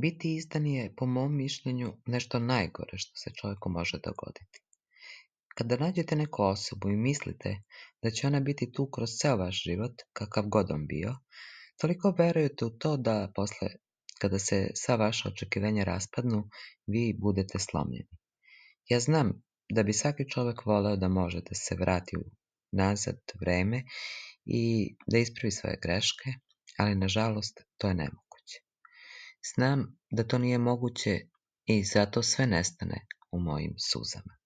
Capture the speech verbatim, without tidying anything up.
Biti izdan je, po mom mišljenju, nešto najgore što se čovjeku može dogoditi. Kada nađete neku osobu i mislite da će ona biti tu kroz ceo vaš život, kakav god on bio, toliko verujete u to da posle, kada se sva vaša očekivanja raspadnu, vi budete slomljeni. Ja znam da bi svaki čovjek voleo da može da se vrati u nazad vreme i da ispravi svoje greške, ali nažalost to je nemoguće. Znam da to nije moguće i zato sve nestane u mojim suzama.